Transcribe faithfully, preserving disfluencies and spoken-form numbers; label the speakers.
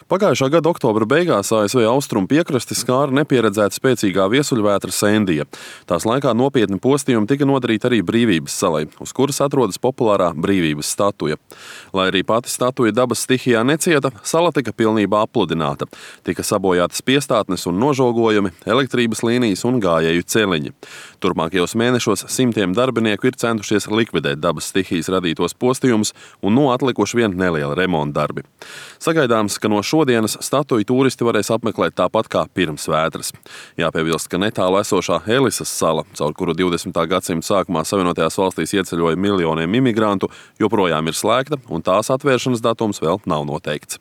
Speaker 1: Pagājušā gada oktobra beigās A S V austrumu piekrasti skāra nepieredzēta spēcīgā viesuļvētra Sendija. Tās laikā nopietni postījumi tika nodarīti arī Brīvības salai, uz kuras atrodas populārā Brīvības statuja. Lai arī pati statuja dabas stihijā necieta, sala tika pilnībā apludināta. Tika sabojātas piestātnes un nožogojumi, elektrības līnijas un gājēju celiņi. Turpmākajos mēnešos simtiem darbinieku ir centušies likvidēt dabas stihijas radītos postījumus un no atlikuši vien neliela remonta darbi. Sagaidāms, ka no šodienas statuju turisti varēs apmeklēt tāpat kā pirms vētras. Jāpiebilst, ka netālu esošā Elisas sala, caur kuru divdesmitā gadsimta sākumā Savienotajās valstīs ieceļoja miljoniem imigrantu, joprojām ir slēgta un tās atvēršanas datums vēl nav noteikts.